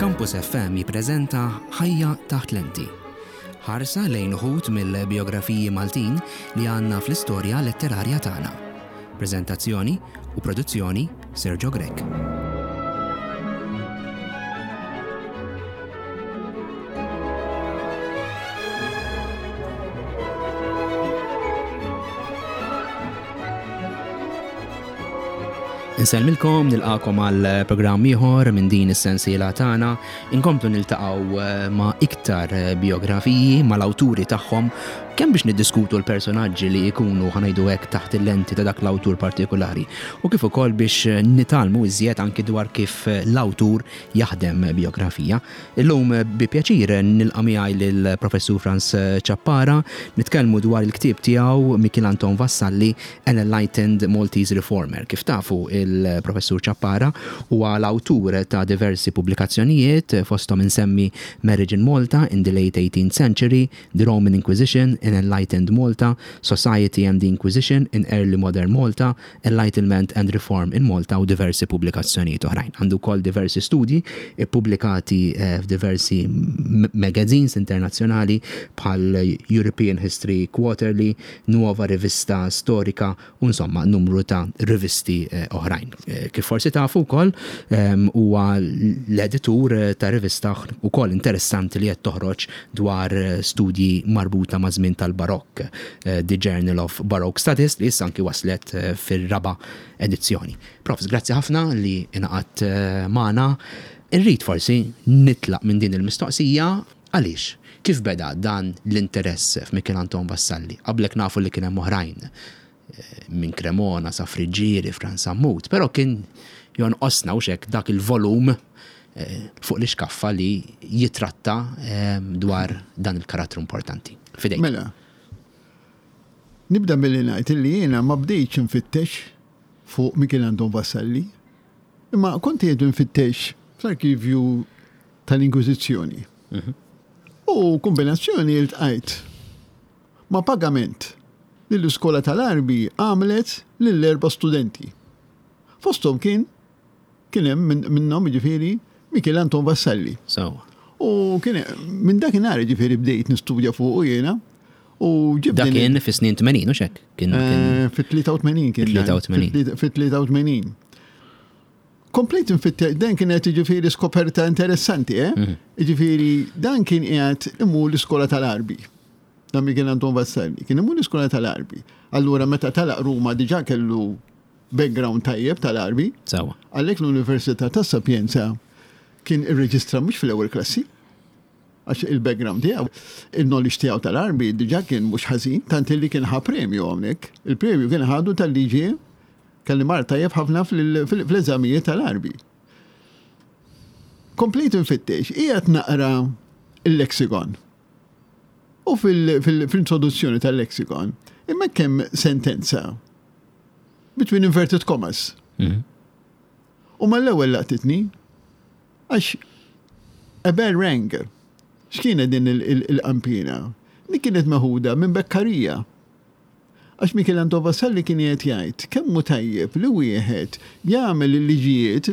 Campus FM jippreżenta Ħajja taħt lenti. Ħarsa lejn uħud mill-bijografiji Maltin li għandna fl-istorja letterarja tagħna. Preżentazzjoni u produzzjoni Sergio Grech. Insellmilkom, nilqakom għal programm ieħor minn din is-sensiela tagħna. Inkomplu niltaqgħu eh, ma' iktar eh, biografiji mal-awturi tagħhom kemm biex niddiskutu l-personaġġi li jkunu ħanajdu hekk taħt il-lenti ta' dak l-awtur partikolari u kif ukoll biex eh, nitalmu iżjed anki dwar kif l-awtur jaħdem biografija. Illum bi pjaċir nilqa' miegħi lill-Professur Frans Ciappara, nitkellmu dwar il-ktieb tiegħu Mikiel Anton Vassalli, An Enlightened Maltese Reformer. Kif tafu il-Professur Ciappara huwa l-awtur ta' diversi pubblikazzjonijiet, fosthom insemmi Marriage in Malta in the Late Eighteenth Century, The Roman Inquisition in Enlightened Malta, Society and the Inquisition in Early Modern Malta, Enlightenment and Reform in Malta u diversi pubblikazzjonijiet oħrajn. Għandu wkoll diversi studji ppubblikati f'diversi magazines internazzjonali bħal European History Quarterly, Nuova Rivista Storica u insomma numru ta' rivisti oħrajn. Kif forsi tafu wkoll huwa l-editur ta' rivista wkoll interessanti li qed toħroġ dwar studji marbuta maż-żmien tal-Barokk, The Journal of Baroque Studies li issa anki waslet fir-raba' edizzjoni. Profs, grazzi ħafna li ingħaqadt magħna. Irrid forsi nitlaq minn din il-mistoqsija għaliex? Kif beda dan l-interess f'Mikiel Anton Vassalli? Qablek nafu li kien hemm oħrajn minn Cremona sa Friggieri, Frans Sammut, però kien jonqosna hux hekk dak il-volum fuq l-ixkaffa li jitratta dwar dan il-karattru importanti. Fidejk. Mela, nibda billi ngħid illi jiena ma bdejtx infittex fuq Mikiel Anton Vassalli, imma kont qiegħed infittex fl-arkivju tal-Inkwiżizzjoni. U kombinazzjoni iltqajt ma' pagament li l-iskola tal-Għarbi għamlet lil erba' studenti. Fosthom kien kien hemm minnhom jiġifieri Mikiel Anton Vassalli. Sewwa. U kien minn dakinhar jiġifieri bdejt nistudja fuqu jiena u ġibt Dak kien fis-snin 80 u xek? Kien eh, fit-83 kien. 83. Fit-83. Komplejt nfittex, dan kienet jiġifieri skoperta interessanti, eh? Mhm. Jiġifieri dan kien qiegħed imur l-iskola tal-Għarbi. Dan Mikiel Anton Vassalli, kien imur l-iskola tal-Għarbi. Allura meta talaq Ruma diġà kellu background tajjeb tal-Għarbi. Sewa. Għalhekk l-Università ta' Sapienza kien irreġistra mhux fl-ewwel klassi, għax il-background tiegħu, il-knowledge tiegħu tal-Għarbi diġà kien mhux ħażin, tant li kien ħa premju hawnhekk. Il-premju kien ħadu tal-liġi kelli mar tajjeb ħafna fl-eżamijiet tal-Għarbi. Komplejt infittex, qiegħed naqra il-lexicon. U fil-introduzzjoni tal-lexicon, hemmhekk hemm sentenza between inverted commas. Mhm. U mal-ewwel laqtitni għax a bell rang. X'kienet din il-qampina? Li kienet meħuda minn Beccaria. Għax Michel Anton Vassalli kien qiegħed jgħid kemm hu tajjeb li wieħed jagħmel il-liġijiet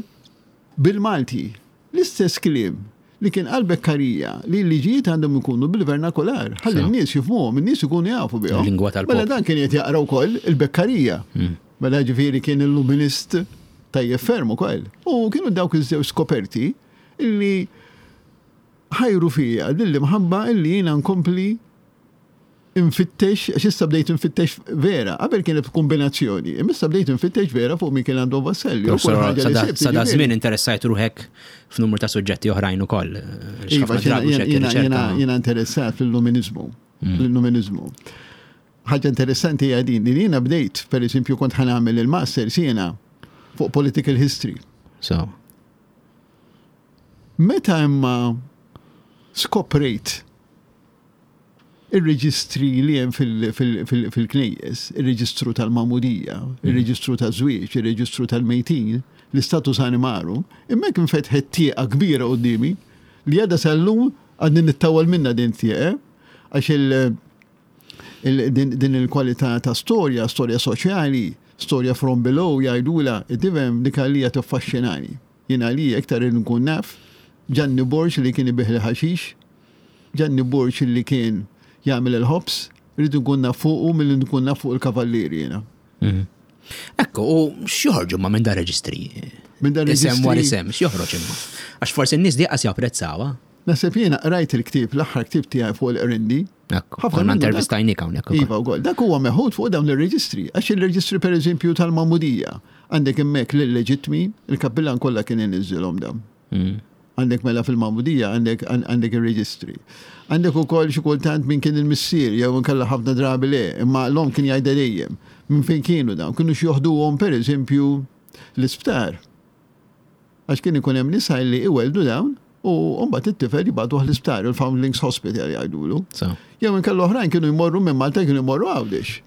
bil-Malti. L-istess kliem li kien qal Beccaria li l-liġijiet għandhom ikunu bil-vernakular, ħalli n-nies jifhmuhom, in-nies ikunu jafu bihom. Lingwa tal-poplu. Mela dan kien qed jaqra wkoll il-Beccaria. Hmm. Mela ġifieri kien illuminist tajjeb ferm ukoll. U kienu dawk iż-żewġ skoperti illi ħajru fija din l-imħabba illi jiena nkompli infittex, għax issa bdejt infittex vera, qabel kienet kombinazzjoni, imma issa bdejt infittex vera fuq Michel Anton Vassalli. Sa da żmien interessajt ruħek f'numru ta' suġġetti oħrajn ukoll. Iva, jiena interessat fil-luminizmu. Mm. Fil-luminizmu. Ħaġa interessanti hija din li jiena bdejt, per eżempju, kont ħanamel il-masters jiena fuq political history. So. Meta imma skoprejt Ir-reġistri li hemm fil-knejjes, ir-reġistru tal-magħmudija, ir-reġistru taż-żwieġ, ir-reġistru tal-mejtin, l-istatus animarum, hemmhekk infetħet tieqa kbira quddiemi li għadha sal-lum għadni nittawwal minnha din it-tieqa, għax din il-kwalità ta' storja, storja soċjali, storja from below jgħidulha, tifhem, dik għalija tiffaxxinani. Jien għalija iktar irrid nkun naf. Ġanni Borg li kien ibigħ il-ħaxix, Ġanni Borg li kien jagħmel il-ħobż, irrid nkun naf fuqu milli nkun naf fuq il-kavallieri jiena. Mhm. Ekku, u x'joħorġu ma minn dar reġistri? Minn dar reġistri. Isem wara isem, x'joħroġ imma? Għax forsi n-nies diqas japprezzawha. Naħseb jiena qrajt il-ktieb, l-aħħar ktieb tiegħi fuq il-Qrindi. Ekku, konna intervistajnik hawnhekk. Iva wkoll. Dak huwa meħud fuq dawn ir-reġistri. Għax il-reġistri pereżempju tal-Magħmudija, għandek hemmhekk l-illeġittmi, il-kappillan kollha kien iniżżilhom dawn. Mm. Għandek mela fil-Magħmudija għandek għandek ir-reġistri. Għandek ukoll xi kultant min kien il-missier jew inkella ħafna drabi le, imma l-omm kien jgħidha dejjem. Minn fejn kienu dawn? Kienu x'joħduhom pereżempju l-isptar. Għax kien ikun hemm nisa li iweldu dawn u mbagħad it-tifel jibgħatuh l-isptar, il-Foundlings Hospital jgħidulu. Jew inkella oħrajn kienu jmorru minn Malta kienu jmorru Għawdex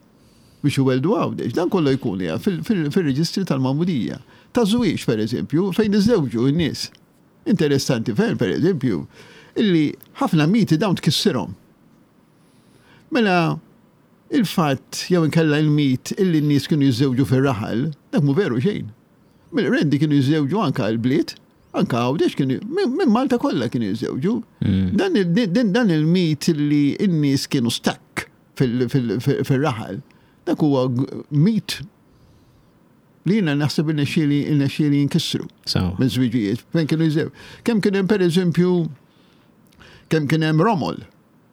biex iwelldu Għawdex. Dan kollu jkun fil-reġistri tal-magħmudija. Ta' żwieġ, per eżempju, fejn iżżewġu n-nies. Interessanti ferm, per eżempju, illi ħafna miti dawn tkissirhom. Mela, il-fatt jew inkella il-mit illi n-nies kienu jiżżewġu fir-raħal, dak mhu veru xejn. Mill-Qrendi kienu jiżżewġu anka l-bliet, anka Għawdex kienu, minn Malta kollha kienu jiżżewġu. Mm. Dan il-mit li n-nies kienu stakk fil-raħal, dak huwa mit li jiena naħseb irnexxieli irnexxieli jinkissru. Minn żwiġijiet, fejn kienu jiżżewġu. Kemm kien hemm pereżempju kemm kien hemm romol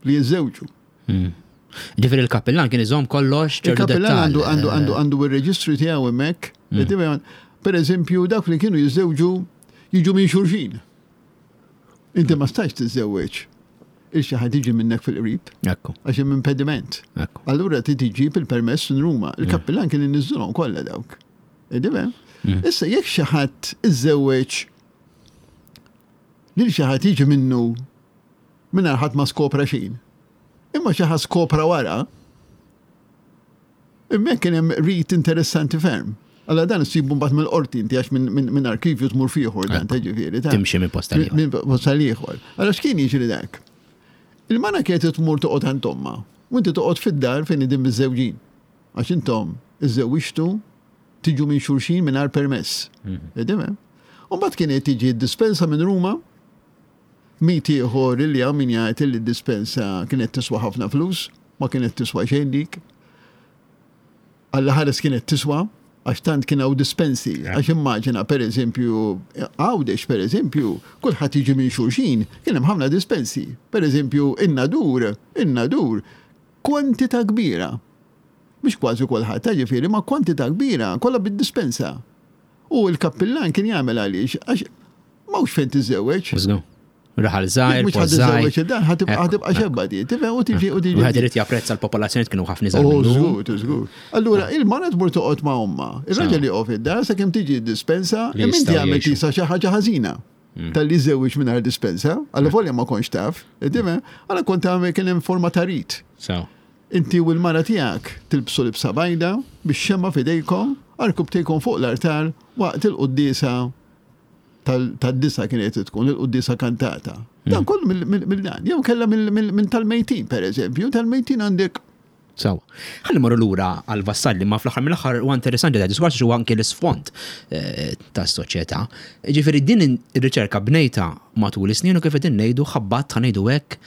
li jiżżewġu. Hmm. Ġifieri il-kappillan kien iżomm kollox ċertu Il-kappillan għandu għandu għandu għandu ir-reġistru tiegħu hemmhekk. Hmm. Per eżempju, dawk li kienu jiżżewġu jiġu minn xulxin. Inti ma stajx tiżżewweġ il xi ħadd jiġi minnek fil-qrib. Ekku. Għax hemm impediment. Ekku. Allura trid iġib il-permess minn Ruma. Mm. Il-kappillan kien inniżżilhom kollha dawk. Idibem? Mm. Issa jekk xi ħadd iżżewweġ lil xi ħadd jiġi minnu mingħajr ħadd ma skopra xejn. Imma xi ħadd skopra wara, Hemmhekk kien hemm rit interessanti ferm. Alla dan issibu mbagħad mill-qorti inti għax minn arkivju tmur fieħor dan ta' ġifieri. Timxi minn posta ieħor. Minn posta ieħor. Allora x'kien jiġri dak? Il-mara kienet tmur toqgħod għand omma u inti toqgħod fid-dar fejn idin miżżewġin. Għax intom iżżewwiġtu tiġu minn xulxin mingħajr permess. Mhm. U mbagħad kienet tiġi d-dispensa minn Ruma Mit ieħor li hawn min jgħid li d-dispensa kienet tiswa ħafna flus, ma kienet tiswa xejn dik. Alla ħares kienet tiswa, għax tant kien hawn dispensi. Għax immaġina pereżempju, Għawdex pereżempju, kulħadd jiġi minn xulxin, kien hemm ħafna dispensi. Pereżempju, in-Nadur, in-Nadur, kwantità kbira. Mhux kważi kulħadd, ġifieri, ma kwantità kbira, kollha bid-dispensa. U l-kappillan kien jagħmel għaliex, għax m'hawnx fejn tiżżewweġ. Żgur. Raħal żgħir, Mhux ħadd tiżżewweġ id-dar, ħatibqa' xebba di. Tifhem u tiġi u tiġi. Wieħed irid japprezza l-popolazzjoni kienu ħafna żgħar. Oh, żgur, żgur. Allura il-mara tmur toqgħod ma' omma. Ir-raġel joqgħod id-dar sakemm tiġi d-dispensa, imma inti għamel tisa xi ħaġa ħażina. Mm. Tal-li żewġ mingħajr dispensa, għalla volja ma kontx taf, tifhem, għalla kont għamel kien hemm forma ta' rit. Inti u l-mara tiegħek tilbsu libsa bajda, bix-xemgħa f'idejkom, għarkupptejkom fuq l-artal waqt il-quddiesa tad-disa kienet tkun il-quddiesa kantata. Dan kollu mill-dan. Jew kellha minn tal-mejtin, pereżempju, tal-mejtin għandek Sawa. Ħalli morru lura għal Vassalli, ma fl-aħħar mill-aħħar huwa interessanti da diskors huwa anke l-isfond eh, tas-soċjetà. Ġifieri din ir-riċerka bnejta matul is-snin u kif qegħdin ngħidu ħabbat ħa ngħidu hekk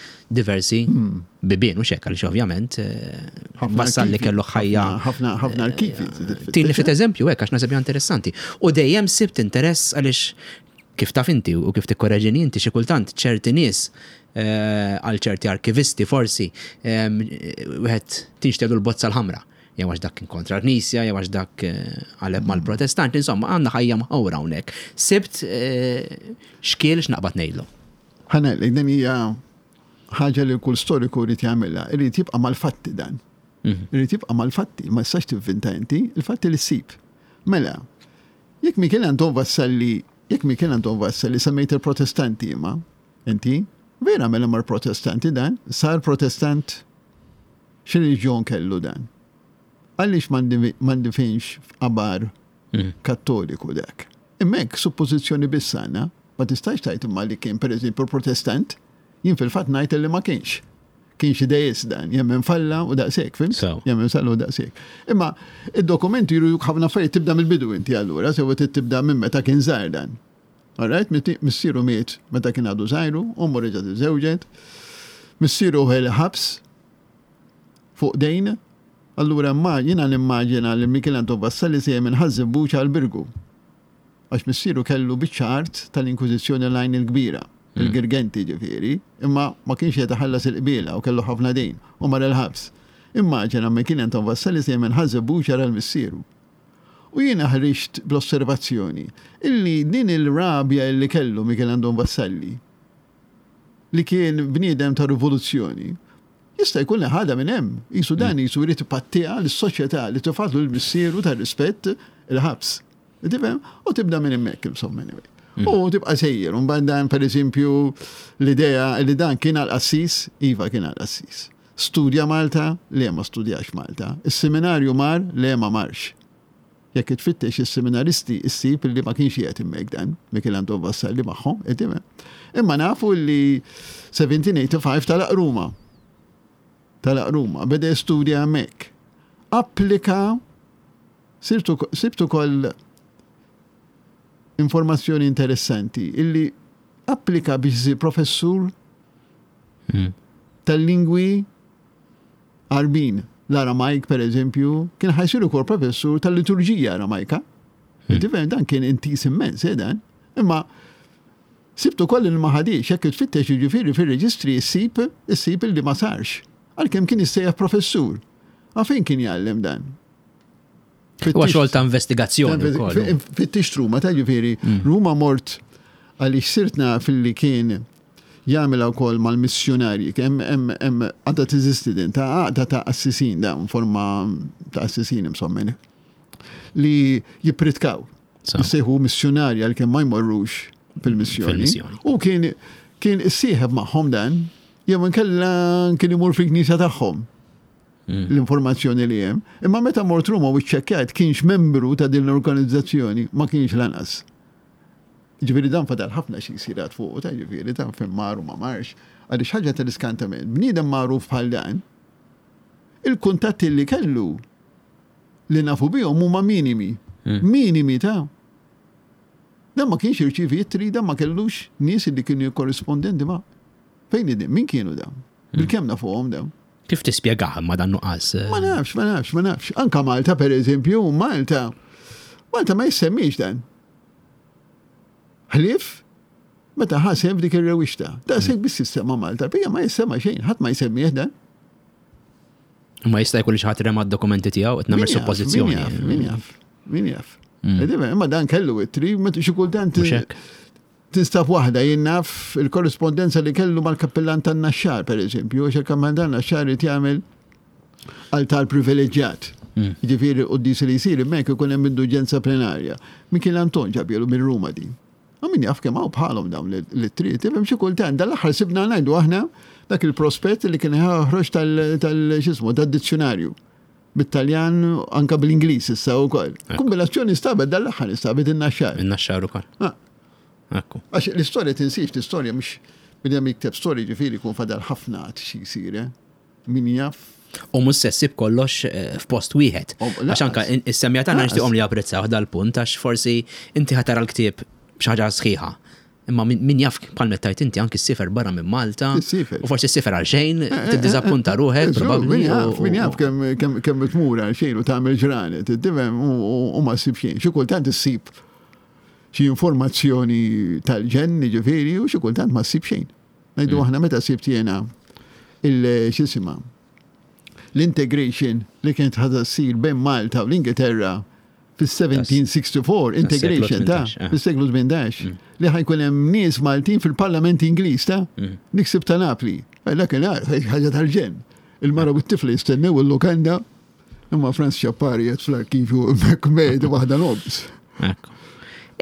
diversi hmm. bibien u xek għaliex ovvjament eh, Vassalli kellu ħajja. Ħafna ħafna eh, arkivi. Tini ftit eżempju hekk għax naħseb interessanti. U dejjem sibt interess għaliex kif taf inti u kif tikkoreġini inti xi kultant ċerti nies eh, għal ċerti arkivisti forsi wieħed tinxtedu l-bozza l-ħamra jew għax dak kien kontra l-Knisja, jew għax dak eh, qaleb mal-Protestanti, insomma għandna ħajja mħawra hawnhekk. Sibt eh, xkiel x'naqbad ngħidlu. Ħanel, din hija ħaġa li kull storiku jrid jagħmilha, irid jibqa' mal-fatti dan. Mhm. Irid jibqa' mal-fatti, ma jistax tivvinta inti, il-fatti li ssib. Mela, jekk Michel Anton Vassalli, jekk Michel Anton Vassalli semmejt il-Protestanti imma, inti, vera mela mar Protestanti dan, sar Protestant X'reliġjon kellu dan? Għaliex ma ndifinx f'qabar mm. kattoliku dak? Imma hekk suppożizzjoni biss għandna, ma tistax tgħid imma li kien pereżempju protestant, jien fil-fatt ngħid li ma kienx. Kien xi deist dan, jemmen falla u daqshekk, fim? Jemmen falla u daqshekk. Imma id-dokumenti juru ħafna affarijiet tibda mill-bidu inti allura, sewa tibda minn meta kien żgħar dan. Alright, missieru miet meta kien għadu żgħiru, ommu reġgħet iżżewġet. Missieru ħel ħabs fuq dejn. Allura imma jiena nimmaġina li Mikiel Anton Vassalli sejjer minn Ħaż-Żebbuġ għal Birgu. Għax missieru kellu biċċa art tal-Inkwiżizzjoni l-Għajn il-Kbira, il-Girgenti ġifieri, imma ma kienx qiegħed iħallas il-qbiela u kellu ħafna dejn u mar il-ħabs. Immaġina Mikiel Anton Vassalli sejjer minn Ħaż-Żebbuġ jara l-missieru. U jiena ħriġt bl-osservazzjoni illi din il-rabja illi kellu Mikiel Anton Vassalli, li kien bniedem ta' rivoluzzjoni, jista' jkun li ħadha minn hemm. Qisu dan qisu jrid ipattiha lis-soċjetà li tefgħatlu lil missieru tar-rispett il-ħabs. Tifhem? U tibda minn hemmhekk insomma anyway. U tibqa' sejjer, u mbagħad dan pereżempju l-idea li dan kien għal qassis, iva kien għal qassis. Studja Malta? Le ma studjax Malta. Is-seminarju mar? Le ma marx. Jekk tfittex is-seminaristi issib li ma kienx qiegħed hemmhekk dan, Mikiel Anton Vassalli magħhom, qed tifhem? Imma nafu li 1785 telaq Ruma. Telaq Ruma, beda jistudja hemmhekk. Applika sibt ukoll informazzjoni interessanti illi applika biex isir professur hmm. tal-lingwi Għarbin. L-Aramajk, per eżempju, kien ħajsir ukoll professur tal-liturġija Aramajka. Hmm. Tifhem dan kien intis immens, eh, dan. Imma sibtu koll il ma ħadix, jekk tfittex jiġifieri fir-reġistri issib issib li ma sarx. Għalkemm kien issejjaħ professur. Għafejn kien jgħallem dan? Huwa xogħol ta' investigazzjoni wkoll. Fittixt Ruma, ta' ġifieri, mm. Ruma mort għaliex sirt naf li kien jagħmilha wkoll mal-missjunarji, hemm hemm hemm għadha teżisti din ta' għaqda ta' assisin dawn forma ta' assisin insomma li jippritkaw. Jissejħu missjunarji għalkemm ma jmorrux fil-missjoni. U kien kien issieħeb magħhom dan, jew inkella kien imur fil-knisja tagħhom. Mm. L-informazzjoni li hemm. Imma meta mort Ruma u ċċekkjajt kienx membru ta' din l-organizzazzjoni, ma kienx lanqas. Ġifieri dan fadal ħafna xi jsir għad fuqu, ta' ġifieri dan fejn mar u ma marx. Għaliex ħaġa tal-iskantament, bniedem magħruf bħal dan, il-kuntatti li kellu li nafu bihom huma minimi. Mm. Minimi ta' Dan ma kienx irċivi ittri, dan ma kellux nies li kienu jikkorrispondenti ma' fejn Min kienu dawn? Mm. Bil-kemm nafuhom dawn? Kif tispjegah imma dan nuqqas? Ma nafx, ma nafx, ma nafx. Anka Malta, per eżempju, Malta, Malta ma jissemmix dan. Ħlief, meta ħaseb dik ir-rewixta. Daqshekk biss jissemma Malta, bija ma jissemma xejn, ħadd ma jsemmih dan. Ma jista' jkun li xi ħadd rema d-dokumenti tiegħu qed nagħmel suppożizzjoni. Min jaf, min jaf. Mm. Imma dan kellu it-tri, xi kultant. Tinstab waħda, jien naf il-korrispondenza li kellu mal-kappillan tan-Naxxar, per eżempju, għax il-kappillan tan-Naxxar irid jagħmel altar privileġġjat. Mm. Ġifieri l-quddies li jsir hemmhekk ikun hemm indulġenza plenarja. Mikiel Anton ġabielu minn Ruma din. U min jaf kemm hawn bħalhom dawn l-ittri, tifhem xi kultant dal-aħħar sibna ngħidu aħna dak il-prospett li kien ħroġ tal-xismu tad-dizzjonarju bit-Taljan anka bl-Ingliż issa wkoll. Kombinazzjoni stabet dal-aħħar instabet in-Naxxar. In-Naxxar ukoll. Ah. Ekku. Għax l-istorja tinsiex, l-istorja mhux bnedem jikteb storja ġifieri jkun fadal ħafna għad xi jsir, eh? Min jaf. U mhux se ssib kollox eh, f'post wieħed. Oh, għax anka is-semmija tagħna nixtieqhom li japprezzaw dal-punt għax forsi inti ħatara l-ktieb xi ħaġa sħiħa. Imma min jaf bħal mettajt inti anki s-sifer barra minn Malta. U forsi s-sifer għal xejn, eh, eh, tiddiżappunta ruħek, probabbli. Min jaf kemm tmur għal xejn u tagħmel ġranet, tifhem u ma ssib xejn. Xi kultant issib xi informazzjoni tal-ġenn, jiġifieri, u xi kultant ma ssib xejn. Ngħidu mm. aħna meta sibt jiena il-xisima l-integration li kienet ħadha ssir bejn Malta u l-Ingilterra fis-1764, integration ta' eh. fis-seklu 18, mm. li ħajkun hemm nies Maltin fil-Parlament Ingliż ta' mm. niksib ta' Napli. Eh, dak ħaġa tal-ġenn. Il-mara u t-tifla jistennew il-lukanda Imma Franz Ċappari qed fl-arkivju hemmhekk mejda waħda nobs.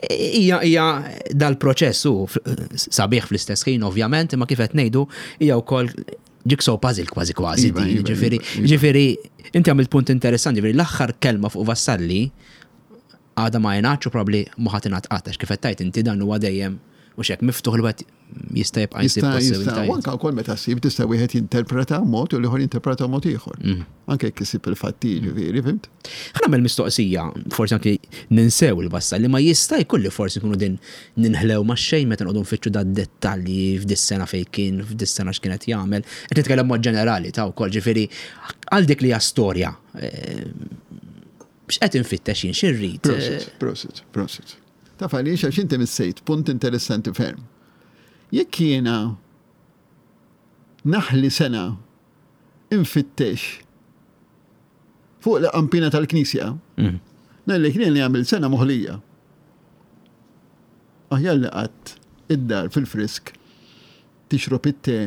Hija hija dal-proċess hu sabiħ fl-istess ħin ovvjament, imma kif qed ngħidu hija wkoll jigsaw puzzle kważi kważi. Iva, iva, ġifieri, iva, ġifieri inti għamilt punt interessanti, ġifieri l-aħħar kelma fuq Vassalli għadha ma jingħadx u probabbli ma ħadd ingħad qatt għax kif qed tgħid inti dan huwa dejjem u xek miftuħ li wieħed. Jista' jibqa' jsib possibilitajiet. Anke wkoll meta ssib tista' wieħed jinterpreta mod u l-ieħor jinterpreta mod ieħor. Anke jekk isib il-fatti ġifieri, fhimt? Ħa nagħmel mistoqsija, forsi anke ninsew il-vassalli, ma jista' jkun li forsi nkunu din ninħlew ma' xejn meta noqogħdu nfittxu da dettalji f'dis-sena fejn kien, f'dis-sena x'kien qed jagħmel. Qed nitkellem mod ġenerali ta' wkoll, ġifieri għal dik li hija storja. Eh, x'qed infittex jien x'irrid? Prosit, prosit, prosit. Taf għaliex għax inti missejt punt interessanti ferm. Jekk jiena naħli sena infittex fuq l-qampina tal-knisja, mm. ngħidlek li għamil sena moħlija. Aħjar li qatt id-dar fil-frisk tixrob it-te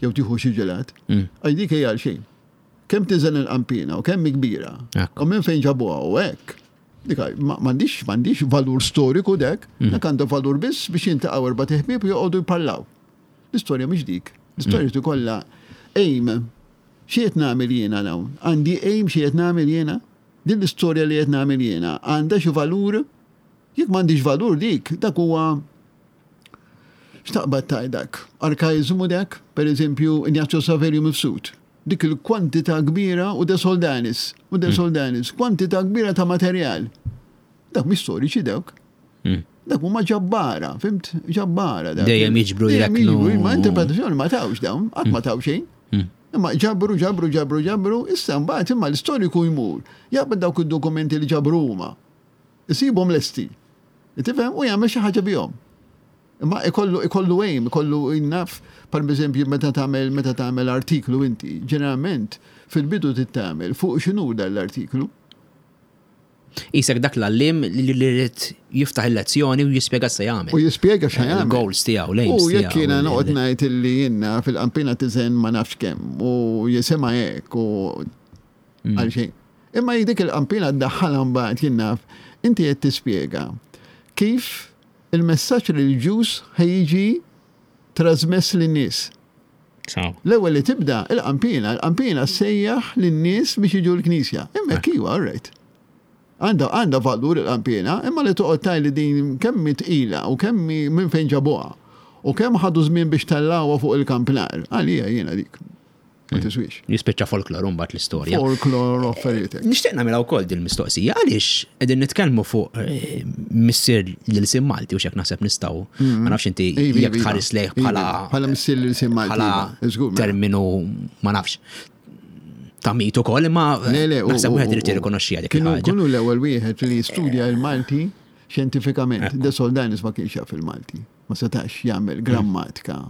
jew tieħu xi ġelat, mm. għaj dik hija għal xejn. Kemm tiżen il-qampina u kemm kbira u minn fejn ġabuha u hekk. Dik m'għandix m'għandix valur storiku dek, mm. dak għandu valur biss biex jintaqgħu erba' ħbieb u joqogħdu jparlaw. L-istorja mhix dik. L-istorja mm. kollha aim. Xi qed nagħmel jiena hawn? Għandi aim xi qed nagħmel jiena? Din l-istorja li qed nagħmel jiena għandha xi valur? Jekk m'għandix valur dik, dak huwa x'taqbad tgħid dak? Arkaiżmu dak, pereżempju Ignazio Saverio Mifsud. Dik il-kwantità kbira u De Soldanis, u De mm. Soldanis, kwantità kbira ta' materjal. Dak mhix storiċi dawk. Mm. Dak huma ġabbara, fimt? Ġabbara. Dejjem jiġbru jreknu. Ma interpretazzjoni ma tawx dawn, qatt ma mm. taw xejn. Imma ġabru, ġabru, ġabru, ġabru, issa mbagħad imma l-istoriku jmur. Jaqbad dawk id-dokumenti li ġabru huma. Isibhom lesti. Tifhem u jagħmel xi ħaġa bihom. Imma ikollu ikollu aim, ikollu naf, par eżempju meta tagħmel meta tagħmel artiklu inti, ġeneralment fil-bidu trid tagħmel fuq x'inhu dan l-artiklu. Isek dak l-għallim li rrid jiftaħ il-lezzjoni u jispjega se jagħmel. U jispjega x'ha jagħmel. Il-goals tiegħu, l-aims tiegħu. U jekk jiena noqgħod ngħid illi jiena fil-qampina tiżen ma nafx kemm u jisimha hekk u mm. għal xejn. Imma dik il-qampina ddaħħalha mbagħad jien naf, inti qed tispjega kif Il-messaġġ reliġjuż ħa jiġi trażmess lin-nies. L-ewwel li tibda, il-qanpiena, il-qanpiena ssejjaħ lin-nies biex jiġu l-knisja. Hemmhekk iva, all right. Għandha għandha valur il-qanpiena, imma li toqgħod tgħid li din kemm hi tqila u kemm hi minn fejn ġabuha u kemm ħadu żmien biex tellgħuha fuq il-kampnar, għalija jiena dik. Ma tiswix. Jispiċċa folklor mbagħad l-istorja. Folklor affarijiet. Nixtieq nagħmilha wkoll din mistoqsija għaliex qegħdin nitkellmu fuq eh, missier l-ilsien Malti u x'hekk naħseb nistgħu. Mm. Ma nafx inti jekk tħares lejh bħala bħala missier l-ilsien Malti. Bħala mela. terminu ma nafx ta' mit ukoll imma naħseb wieħed irid jirrikonoxxiha dik il-ħaġa. Kienu l-ewwel wieħed li studja l-Malti xjentifikament. De Soldanis ma kienx jaf il-Malti. Ma setax jagħmel grammatika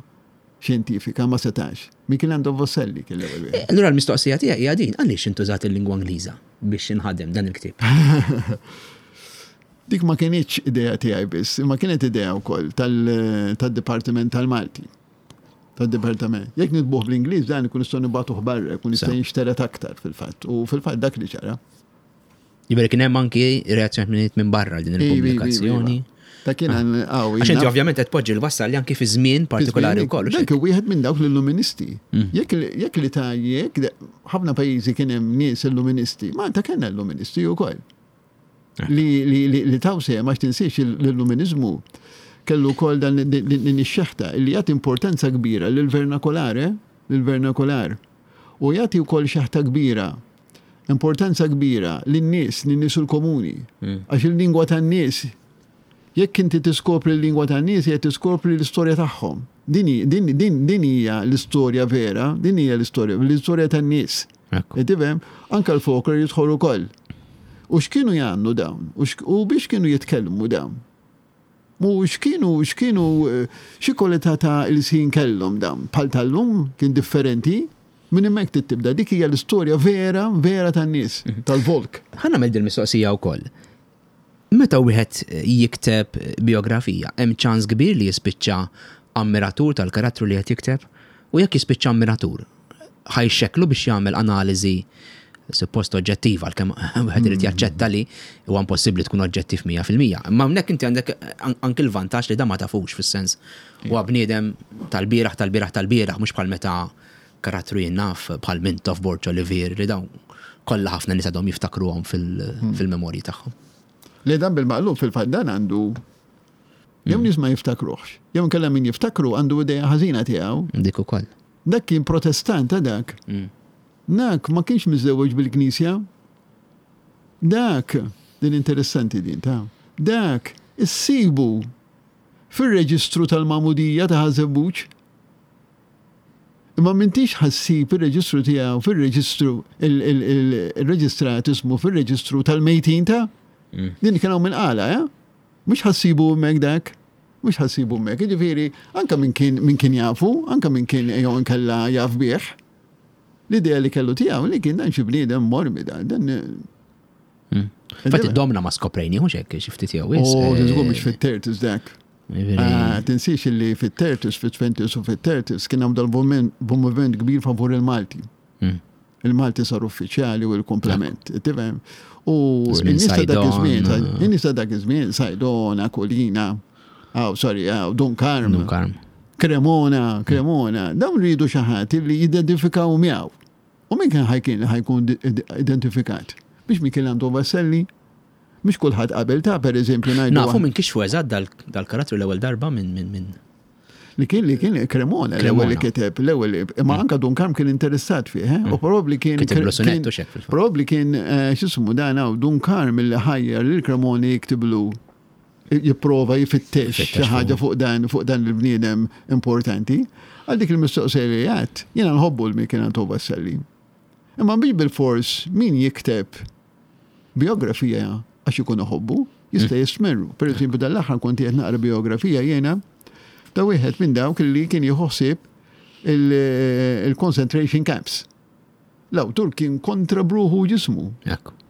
xjentifika ma setax. Michelangelo Vassalli kien l-ewwel wieħed. Allura l-mistoqsija tiegħi hija din, għaliex intużat il-lingwa Ingliża biex inħadem dan il-ktieb? Dik ma kinitx idea tiegħi biss, imma kienet idea wkoll tad-Dipartiment tal-Malti. Tad-Dipartiment. Jekk nitbuh bl-Ingliż dan ikun nistgħu nibgħatuh barra, ikun jista' jinxteret aktar fil-fatt. U fil-fatt dak li ġara. Jiġifieri kien hemm anki reazzjonijiet minn barra din il-pubblikazzjoni. Ta' kien ah. għaw. Għax inti ovvjament qed poġġi l-wassal li anki fi żmien partikolari wkoll. Dak wieħed minn dawk l-illuministi. Mm. Jekk li ta' jekk ħafna pajjiżi kien hemm nies illuministi, Malta kellna illuministi wkoll. Eh. Li taw sehem għax tinsiex l-illuminizmu kellu wkoll dan din ix-xeħta li jagħti importanza kbira lill-vernakolare, lill-vernakolar. U jagħti wkoll xeħta kbira importanza kbira lin-nies, lin-nies il-komuni. Mm. Għax il-lingwa tan-nies, jekk inti tiskopri l-lingwa tan-nies, jekk tiskopri l-istorja tagħhom. Din din hija l-istorja vera, din hija l-istorja, l-istorja tan-nies. Tifhem? Anka l-folklor jidħol ukoll. U x'kienu jagħmlu dawn? U biex kienu jitkellmu dawn? U x'kienu, x'kienu, xi kwalità ta' ilsien kellhom dawn? Bħal tal-lum, kien differenti? Minn hemmhekk trid tibda. Dik hija l-istorja vera, vera tan-nies, tal-volk. Ħa nagħmel dil-mistoqsija wkoll. Meta wieħed jikteb bijografija, hemm ċans kbir li jispiċċa ammiratur tal-karattru li qed jikteb? U jekk jispiċċa ammiratur, ħa jxekklu biex jagħmel analiżi suppost oġġettiva, għalkemm wieħed irid jaċċetta li huwa impossibbli tkun oġġettiv 100%. Imma hawnhekk inti għandek anki l-vantaġġ li da ma tafux fis-sens huwa bniedem tal-bieraħ tal-bieraħ tal-bieraħ mhux bħal meta karattru jien naf bħal Mintoff, Borg Olivier li dawn kollha ħafna nies għadhom jiftakruhom fil-memorji tagħhom. Le dan bil-maqlub fil-fatt dan għandu. Jew nies ma jiftakruhx. Jew inkella min jiftakru għandu idea ħażina tiegħu. Dik ukoll. Dak kien protestant ta' dak. Dak ma kienx miżżewweġ bil-knisja. Dak, din interessanti din ta' dak issibu fir-reġistru tal-magħmudija ta' Ħaż-Żebbuġ. Imma m'intix ħa ssib ir-reġistru tiegħu fir-reġistru il-reġistrat ismu fir-reġistru tal-mejtin ta' mm. Din kien hawn minn qala, eh? Mhux ħa ssibu hemmhekk dak. Mhux ħa ssibu hemmhekk. Jiġifieri anke min kien min kien jafu, anke min kien jew inkella jaf bih. L-idea li kellu tiegħu li kien dan xi bniedem mormi dan. Dan mm. Fatti domna ma skoprejni, hux hekk xi ftit jew is. Oh, żgur mhux fit-tertis dak. Ah, tinsiex li fit-tertis, fit-twenties u fit-tertis kien hemm dal-moviment kbir favur il-Malti. Hmm. Il-Malti sar uffiċjali u l-komplement. Tifhem? U n-nies ta' dak iż-żmien, eh. in-nies ta' dak iż-żmien, Sajdona, Kolina, aw sorry, aw Dun Karm. Dun Karm. Cremona, Cremona, dawn rridu xi ħadd li jidentifikaw miegħu. U min kien ħajkien ħajkun identifikat? Biex Michel Anton Vassalli Mhux kulħadd qabel ta' pereżempju ngħidu. Nafu minn kixfu eżatt dal-karattru l-ewwel darba minn minn minn. Li kien li kien Cremona l-ewwel li kiteb l-ewwel imma mm. anka Dun Karm kien interessat fih, eh? u mm. probabbli kien Probabbli kien eh, x'ismu dan hawn Dun Karm li ħajjar lil Cremona jiktiblu jipprova jfittex xi ħaġa fuq dan fuq dan il-bniedem importanti. Għal dik il-mistoqsija li għedt, jiena nħobbu l-Michel Anto Vassalli. Imma biex bil-fors min jikteb bijografija għax ikun iħobbu, jista' mm. jistmerru. Per eżempju, dal-aħħar kont qed naqra bijografija jiena ta' wieħed minn dawk li kien jieħu ħsieb il-concentration camps. L-awtur kien kontra bruħu ġismu.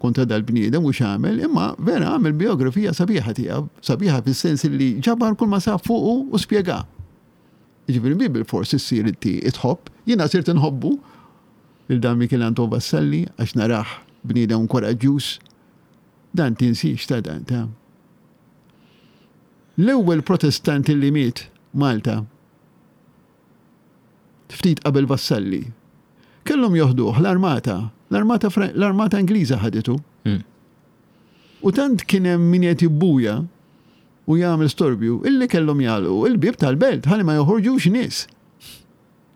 Kontra dal-bniedem u x'għamel, imma vera għamel biografija sabiħa tiegħu, sabiħa fis-sens li ġabar kull ma sab fuqu u spjega. Jiġifieri mhi bilfors issir inti tħobb, jiena sirt inħobbu lil dan Michel Anton Vassalli għax narah bniedem kuraġġjuż. Dan tinsiex ta' dan ta'. L-ewwel Protestant li miet Malta ftit qabel Vassalli. Kellhom joħduh l-armata, l-armata l-armata Ingliża ħaditu. Hmm. U tant kien hemm min qed jibbuja u jagħmel storbju illi kellhom jagħlqu il-bieb tal-belt ħalli ma joħorġux nies.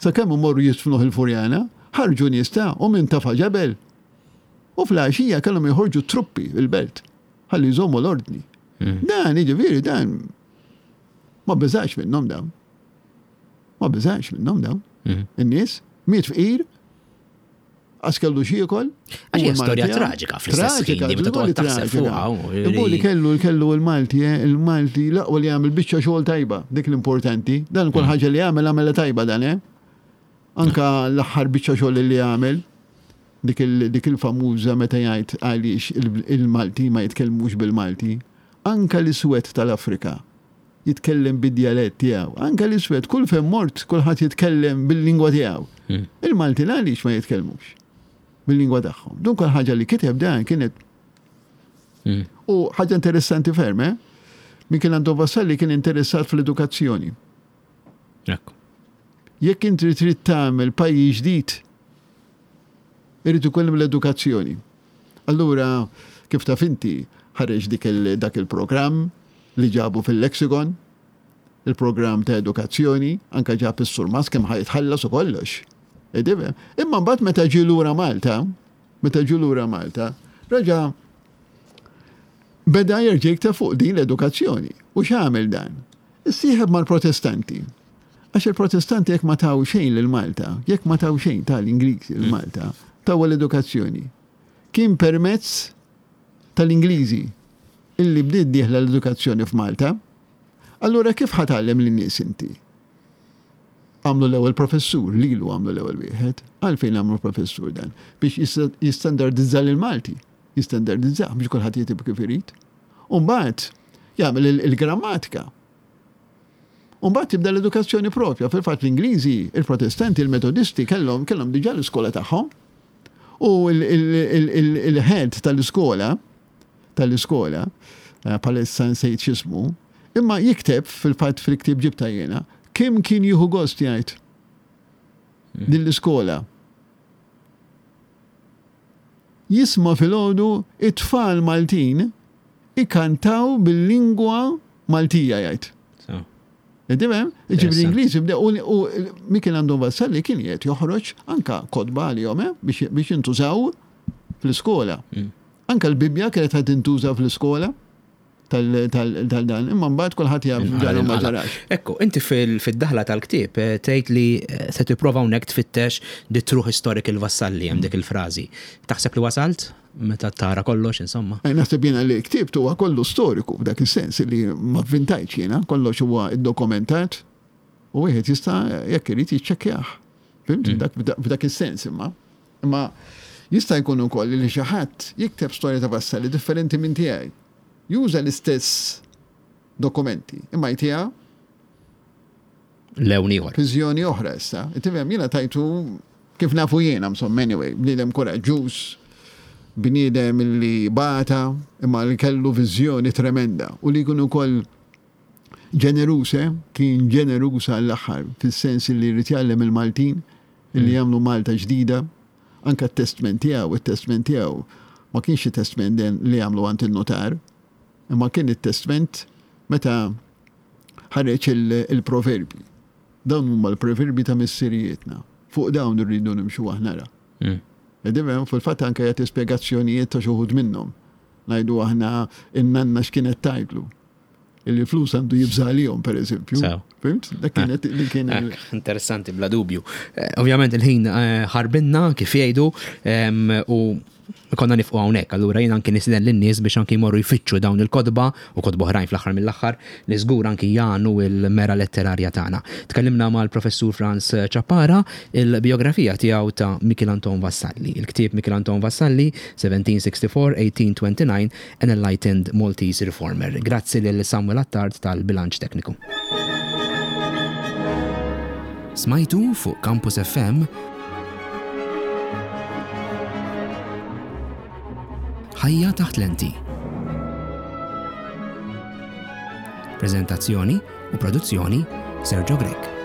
Sakemm imorru jidfnuh il-Furjana, ħarġu nies ta' u min tafa' ġebel. U fl-għaxija kellhom joħorġu truppi il-belt ħalli jżommu l-ordni. Hmm. Dan, jiġifieri dan ma beżax minnhom dawn. Ma beżax minnhom dawn. Hmm. In-nies miet fqir Għax kellu x'jiekol. Għax hija storja traġika fl-istess ħin, meta toqgħod taħseb fuqha. Imma li kellu kellu l-Malti, eh, il-Malti l-aqwa li jagħmel biċċa xogħol tajba, dik l-importanti. Dan kull mm. ħaġa li jagħmel għamela tajba dan, eh. Anka l-aħħar biċċa xogħol li jagħmel dik il-famuża meta jgħid għaliex il-Malti ma jitkellmux bil-Malti. Anka l-iswed tal-Afrika jitkellem bid-djalett tiegħu. Anke l-iswed, kull fejn mort, kulħadd jitkellem bil-lingwa tiegħu. Hmm. Il-Maltin għaliex ma jitkellmux bil-lingwa tagħhom. Dun kull ħaġa li kiteb dan kienet hmm. U ħaġa interessanti ferm, eh? Min kien għandu Vassalli kien interessat fl-edukazzjoni. Jekk inti trid tagħmel pajjiż ġdid, irid ikun hemm l-edukazzjoni. Allura, kif taf inti, ħareġ dik dak il-programm li ġabu fil-lexicon, il-programm ta' edukazzjoni, anka ġab is-surmast kemm ħa jitħallas u kollox. Imma mbagħad meta ġie lura Malta, meta ġie lura Malta, reġa' beda jerġa' jikteb fuq din l-edukazzjoni. U x'għamel dan? Issieħeb mal-Protestanti. Għax il-Protestanti jekk ma taw xejn lil Malta, jekk ma taw xejn tal-Ingliżi lil Malta, taw l-edukazzjoni. Kien permezz tal-Ingliżi illi bdiet dieħla l-edukazzjoni f'Malta. Allura kif ħa tgħallem lin-nies inti? Għamlu l-ewwel professur, lilu għamlu l-ewwel wieħed. Għalfejn għamlu professur dan? Biex jistandardizza lill-Malti. Jistandardizza biex kulħadd jitib kif irid. U mbagħad jagħmel il-grammatika. U mbagħad tibda l-edukazzjoni propja. Fil-fatt l-Ingliżi, il-Protestanti, il-Metodisti kellhom kellhom diġà l-iskola tagħhom. U il-head tal-iskola tal-iskola, eh, palissa nsejt x'ismu, imma jikteb fil-fatt fil-ktieb ġibta jiena, kemm kien jieħu gost jgħid hmm. din l-iskola. Jisma' filgħodu it-tfal Maltin ikantaw bil-lingwa Maltija jgħid. Tifhem? Ġifieri l-Ingliżi bdew u Mikiel Anton Vassalli kien qed joħroġ anka kotba għalihom eh, biex jintużaw fl-iskola. Mm. Anka l-Bibbja kienet qed tintuża fl-iskola tal-dan, imma mbagħad kulħadd jaf ġara ma ġarax. Ekku, inti fid-daħla tal-ktieb eh, tgħid li eh, se tipprova hawnhekk tfittex the true historical Vassalli hemm dik il-frażi. Taħseb li wasalt? Meta tara kollox, insomma. Eh, naħseb jiena li ktibt huwa kollu storiku f'dak is-sens li ma vvintajtx jiena, kollox huwa ddokumentat u wieħed jista' jekk irid jiċċekkjah. Fimt? Mm. F'dak is-sens imma. Imma jista' jkun ukoll li xi ħadd jikteb storja ta' Vassalli differenti minn tiegħi. Juża l-istess dokumenti, imma jtiha lewn ieħor. Viżjoni oħra issa. Tifhem jiena tajtu kif nafu jiena insomma anyway, bniedem kuraġġuż, bniedem li bata imma li kellu viżjoni tremenda u li jkun ukoll ġeneruż, eh? kien ġeneruż għall-aħħar, fis-sens li jrid jgħallem il-Maltin li mm. jagħmlu Malta ġdida, anka t-testment tiegħu, it-testment tiegħu ma kienx testment li jagħmlu għand il-notar, imma kien it-testment meta ħareġ il-proverbji. Dawn huma l-proverbji ta' missirijietna. Fuq dawn irridu nimxu aħna ra. Mm. Edivem, fil-fatt anke jagħti spjegazzjonijiet ta' xi wħud minnhom. Ngħidu aħna in-nanna x'kienet tgħidlu. Illi flus għandu jibża' għalihom pereżempju. Fimt? Dak kienet li kien. Interessanti bla dubju. Eh, ovvjament il-ħin eh, ħarbinna kif jgħidu u konna nifqu hawnhekk, allura jien anki nistieden lin-nies biex anki jmorru jfittxu dawn il-kotba u kotba oħrajn fl-aħħar mill-aħħar li żgur anki jagħnu l-mera letterarja tagħna. Tkellimna mal-Professur Frans Ciappara, il-bijografija tiegħu ta' Mikiel Anton Vassalli. Il-ktieb Mikiel Anton Vassalli, 1764-1829, An Enlightened Maltese Reformer. Grazzi lil Samuel Attard tal-bilanċ tekniku. Smajtu fuq Campus FM Ħajja taħt lenti. Prezentazzjoni u produzzjoni Sergio Grech.